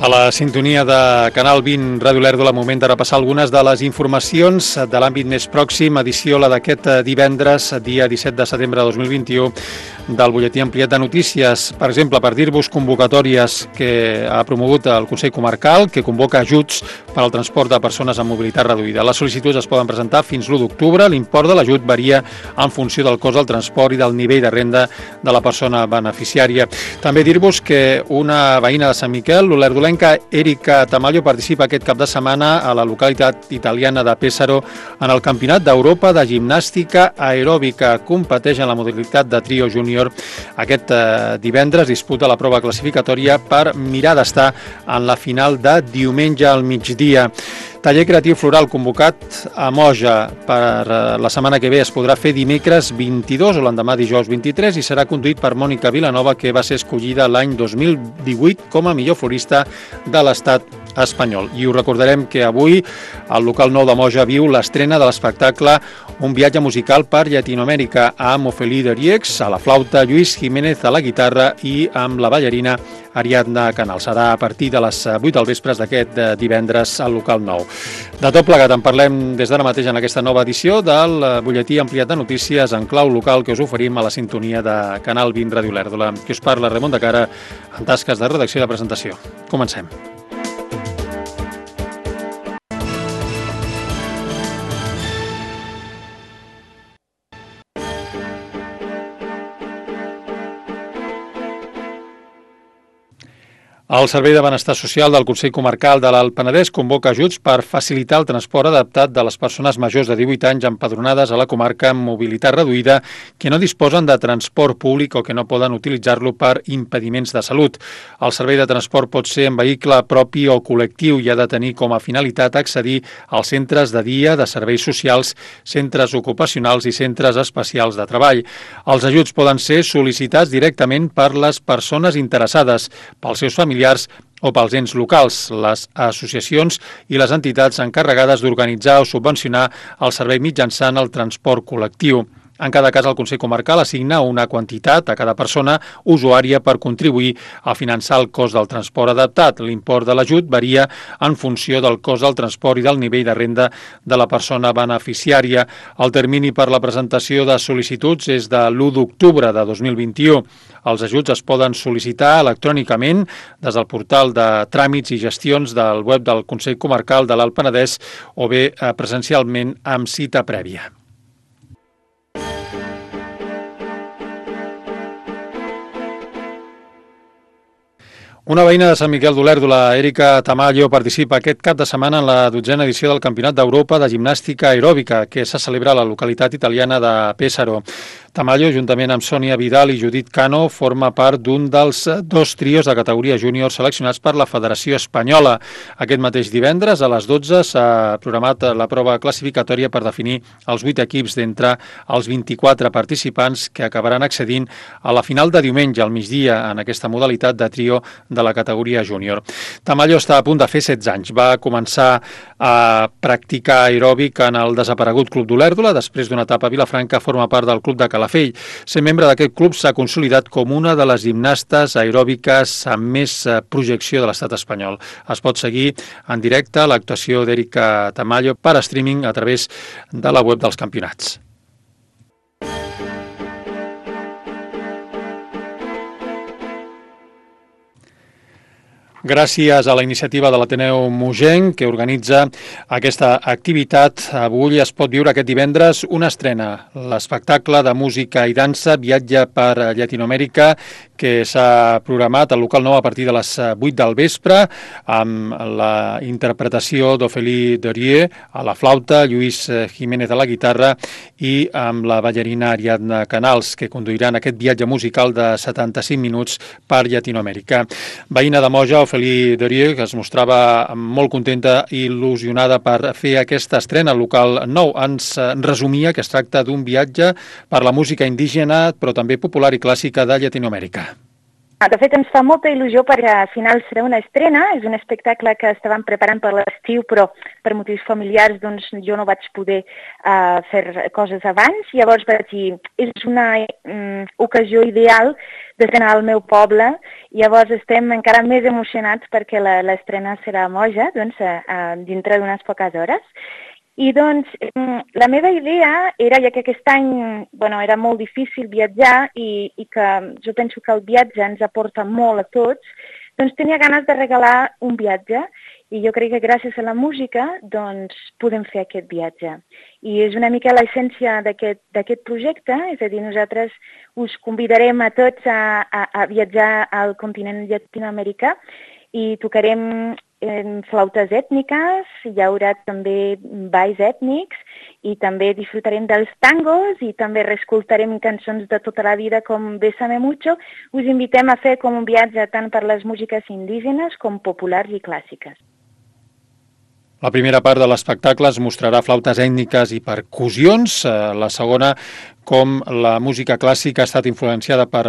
A la sintonia de Canal 20 Ràdio Lèrdula, moment de repassar algunes de les informacions de l'àmbit més pròxim, edició la d'aquest divendres, dia 17 de setembre de 2021, del butlletí ampliat de notícies. Per exemple, per dir-vos convocatòries que ha promogut el Consell Comarcal, que convoca ajuts per al transport de persones amb mobilitat reduïda. Les sol·licituds es poden presentar fins l'1 d'octubre. L'import de l'ajut varia en funció del cost del transport i del nivell de renda de la persona beneficiària. També dir-vos que una veïna de Sant Miquel, l'olerdolenca Erika Tamayo, participa aquest cap de setmana a la localitat italiana de Pesaro en el Campionat d'Europa de Gimnàstica Aeròbica. Competeix en la modalitat de trio júnior. Aquest divendres disputa la prova classificatòria per mirar d'estar en la final de diumenge al migdia. Taller creatiu floral convocat a Moja per la setmana que ve es podrà fer dimecres 22 o l'endemà dijous 23 i serà conduït per Mònica Vilanova, que va ser escollida l'any 2018 com a millor florista de l'estat espanyol. I us recordarem que avui el local 9 de Moja viu l'estrena de l'espectacle Un viatge musical per Llatinoamèrica amb Ophélie Derieux a la flauta, Lluís Jiménez a la guitarra i amb la ballarina Ariadna Canal. Serà a partir de les 8 del vespre d'aquest divendres al local 9. De tot plegat en parlem des d'ara mateix en aquesta nova edició del butlletí ampliat de notícies en clau local que us oferim a la sintonia de Canal 20 Ràdio Lèrdula. Que us parla Ramon de Cara en tasques de redacció i de presentació. Comencem. El Servei de Benestar Social del Consell Comarcal de l'Alt Penedès convoca ajuts per facilitar el transport adaptat de les persones majors de 18 anys empadronades a la comarca amb mobilitat reduïda que no disposen de transport públic o que no poden utilitzar-lo per impediments de salut. El servei de transport pot ser en vehicle propi o col·lectiu i ha de tenir com a finalitat accedir als centres de dia, de serveis socials, centres ocupacionals i centres especials de treball. Els ajuts poden ser sol·licitats directament per les persones interessades, pels seus familiars o pels ens locals, les associacions i les entitats encarregades d'organitzar o subvencionar el servei mitjançant el transport col·lectiu. En cada cas, el Consell Comarcal assigna una quantitat a cada persona usuària per contribuir a finançar el cost del transport adaptat. L'import de l'ajut varia en funció del cost del transport i del nivell de renda de la persona beneficiària. El termini per la presentació de sol·licituds és de l'1 d'octubre de 2021. Els ajuts es poden sol·licitar electrònicament des del portal de tràmits i gestions del web del Consell Comarcal de l'Alt Penedès o bé presencialment amb cita prèvia. Una veïna de Sant Miquel d'Olèrdola, Erika Tamayo, participa aquest cap de setmana en la 12a edició del Campionat d'Europa de Gimnàstica Aeròbica, que se celebra a la localitat italiana de Pesaro. Tamayo, juntament amb Sònia Vidal i Judit Cano, forma part d'un dels 2 trios de categoria júnior seleccionats per la Federació Espanyola. Aquest mateix divendres, a les 12, s'ha programat la prova classificatòria per definir els 8 equips d'entre els 24 participants que acabaran accedint a la final de diumenge al migdia en aquesta modalitat de trio de la categoria júnior. Tamayo està a punt de fer 16 anys. Va començar a practicar aeròbic en el desaparegut Club d'Olèrdola. Després d'una etapa a Vilafranca, forma part del Club de Calafell. Ser membre d'aquest club s'ha consolidat com una de les gimnastes aeròbiques amb més projecció de l'estat espanyol. Es pot seguir en directe l'actuació d'Erika Tamayo per streaming a través de la web dels campionats. Gràcies a la iniciativa de l'Ateneu Mogenc, que organitza aquesta activitat, avui es pot viure aquest divendres una estrena, l'espectacle de música i dansa Viatge per Llatinoamèrica, que s'ha programat al local 9 a partir de les 8 del vespre, amb la interpretació d'Ophélie Derieux a la flauta, Lluís Jiménez a la guitarra i amb la ballarina Ariadna Canals, que conduiran aquest viatge musical de 75 minuts per Llatinoamèrica. Veïna de Moja, Ophélie Derieux, que es mostrava molt contenta i il·lusionada per fer aquesta estrena al local 9. Ens resumia que es tracta d'un viatge per la música indígena, però també popular i clàssica de Llatinoamèrica. De fet, ens fa molta il·lusió perquè al final serà una estrena, és un espectacle que estàvem preparant per l'estiu, però per motius familiars doncs, jo no vaig poder fer coses abans. Llavors vaig dir, és una ocasió ideal d'estrenar al meu poble. Llavors estem encara més emocionats perquè l'estrena serà a Moja, doncs, dintre d'unes poques hores. I doncs la meva idea era, ja que aquest any era molt difícil viatjar i que jo penso que el viatge ens aporta molt a tots, doncs tenia ganes de regalar un viatge i jo crec que gràcies a la música doncs podem fer aquest viatge. I és una mica l'essència d'aquest projecte, és a dir, nosaltres us convidarem a tots a viatjar al continent llatinoamericà i tocarem flautes ètniques, hi haurà també balls ètnics i també disfrutarem dels tangos i també reescoltarem cançons de tota la vida com Bésame Mucho. Us invitem a fer com un viatge tant per les músiques indígenes com populars i clàssiques. La primera part de l'espectacle es mostrarà flautes ètniques i percussions, la segona com la música clàssica ha estat influenciada per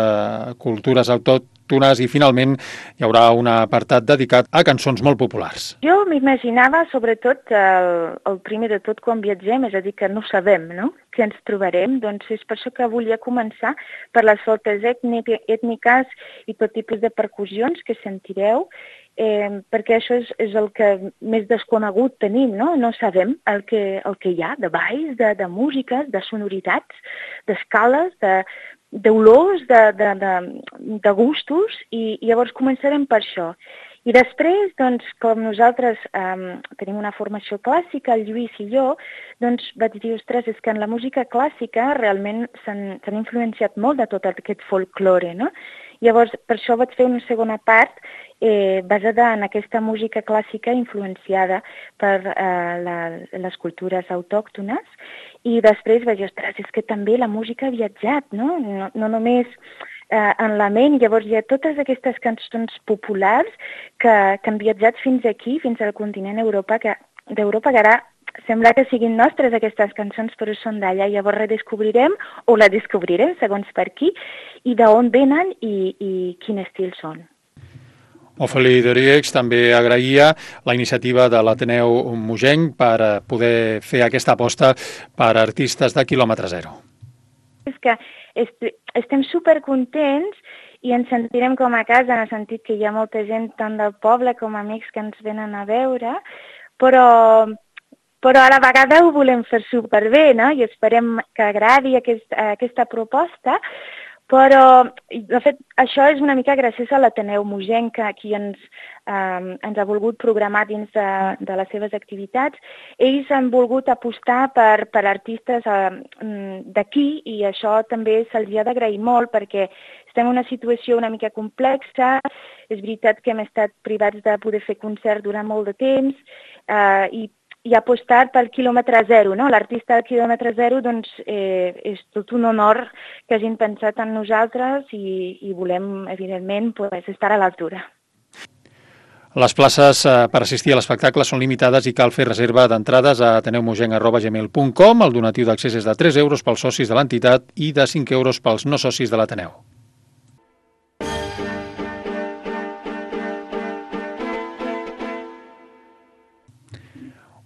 cultures autòctones i finalment hi haurà un apartat dedicat a cançons molt populars. Jo m'imaginava sobretot el primer de tot quan viatgem, és a dir, que no sabem, no?, què ens trobarem, doncs és per això que volia començar per les flautes ètniques i tot tipus de percussions que sentireu, perquè això és el que més desconegut tenim, no? No sabem el que hi ha de balls, de músiques, de sonoritats, d'escales, d'olors, de gustos, i llavors començarem per això. I després, doncs, com nosaltres tenim una formació clàssica, el Lluís i jo, doncs vaig dir, ostres, és que en la música clàssica realment s'han influenciat molt de tot aquest folklore, no? Llavors, per això vaig fer una segona part basada en aquesta música clàssica influenciada per les cultures autòctones i després vaig dir, ostres, és que també la música ha viatjat, no? No només en la ment, llavors hi ha totes aquestes cançons populars que han viatjat fins aquí, fins al continent d'Europa, que ara sembla que siguin nostres aquestes cançons, però són d'allà. Llavors redescobrirem, o la descobrirem, segons per qui, i d'on venen i quin estil són. Ofeli Dorieix també agraïa la iniciativa de l'Ateneu Mogenc per poder fer aquesta aposta per artistes de quilòmetre zero. És que estem supercontents i ens sentirem com a casa, en el sentit que hi ha molta gent tant del poble com amics que ens venen a veure, però a la vegada ho volem fer superbé, no? I esperem que agradi aquesta proposta, però, de fet, això és una mica gràcies a l'Ateneu Mogenc, qui ens ha volgut programar dins de les seves activitats. Ells han volgut apostar per artistes d'aquí i això també se'ls ha d'agrair molt perquè estem en una situació una mica complexa. És veritat que hem estat privats de poder fer concert durant molt de temps i apostar pel quilòmetre zero, no? L'artista del quilòmetre zero, doncs, és tot un honor que hagin pensat en nosaltres i volem, evidentment, estar a l'altura. Les places per assistir a l'espectacle són limitades i cal fer reserva d'entrades a ateneumogenc@gmail.com. El donatiu d'accés és de 3 euros pels socis de l'entitat i de 5 euros pels no socis de l'Ateneu.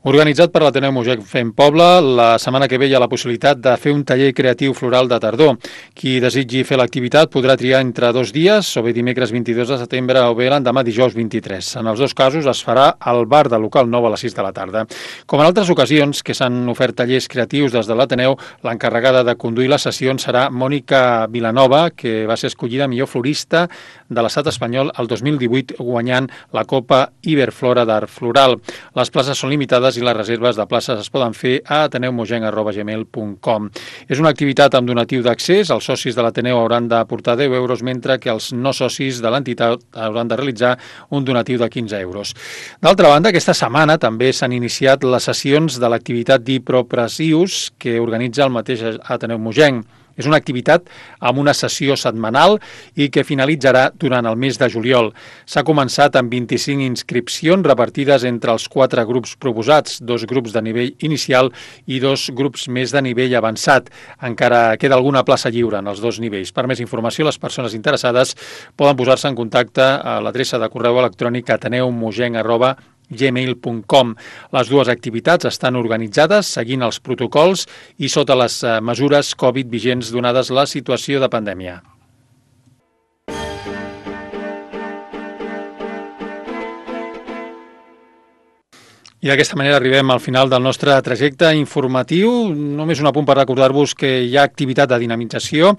Organitzat per l'Ateneu Mogenc Fem Poble, la setmana que ve hi ha la possibilitat de fer un taller creatiu floral de tardor. Qui desitgi fer l'activitat podrà triar entre 2 dies, o bé dimecres 22 de setembre o bé l'endemà dijous 23. En els dos casos es farà al bar del local 9 a les 6 de la tarda. Com en altres ocasions que s'han ofert tallers creatius des de l'Ateneu, l'encarregada de conduir les sessions serà Mònica Vilanova, que va ser escollida millor florista de l'estat espanyol el 2018 guanyant la Copa Iberflora d'Art Floral. Les places són limitades i les reserves de places es poden fer a ateneumogenc@gmail.com. És una activitat amb donatiu d'accés. Els socis de l'Ateneu hauran d'aportar 10 euros, mentre que els no socis de l'entitat hauran de realitzar un donatiu de 15 euros. D'altra banda, aquesta setmana també s'han iniciat les sessions de l'activitat d'Hipropressius que organitza el mateix Ateneu Mogenc. És una activitat amb una sessió setmanal i que finalitzarà durant el mes de juliol. S'ha començat amb 25 inscripcions repartides entre els 4 grups proposats, 2 grups de nivell inicial i 2 grups més de nivell avançat. Encara queda alguna plaça lliure en els 2 nivells. Per més informació, les persones interessades poden posar-se en contacte a l'adreça de correu electrònic ateneumogenc@gmail.com. Les dues activitats estan organitzades seguint els protocols i sota les mesures Covid vigents donades la situació de pandèmia. I d'aquesta manera arribem al final del nostre trajecte informatiu. Només un apunt per recordar-vos que hi ha activitat de dinamització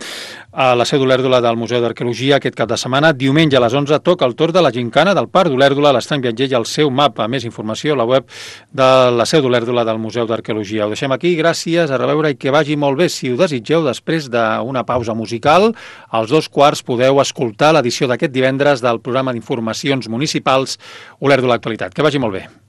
a la Seu d'Olèrdola del Museu d'Arqueologia aquest cap de setmana. Diumenge a les 11 toca el torn de la gincana del Parc d'Olèrdola, l'Estrany Viatger i el seu mapa. Més informació a la web de la Seu d'Olèrdola del Museu d'Arqueologia. Ho deixem aquí, gràcies, a reveure i que vagi molt bé. Si ho desitgeu, després d'una pausa musical, als 2:15 podeu escoltar l'edició d'aquest divendres del programa d'informacions municipals Olèrdola Actualitat. Que vagi molt bé.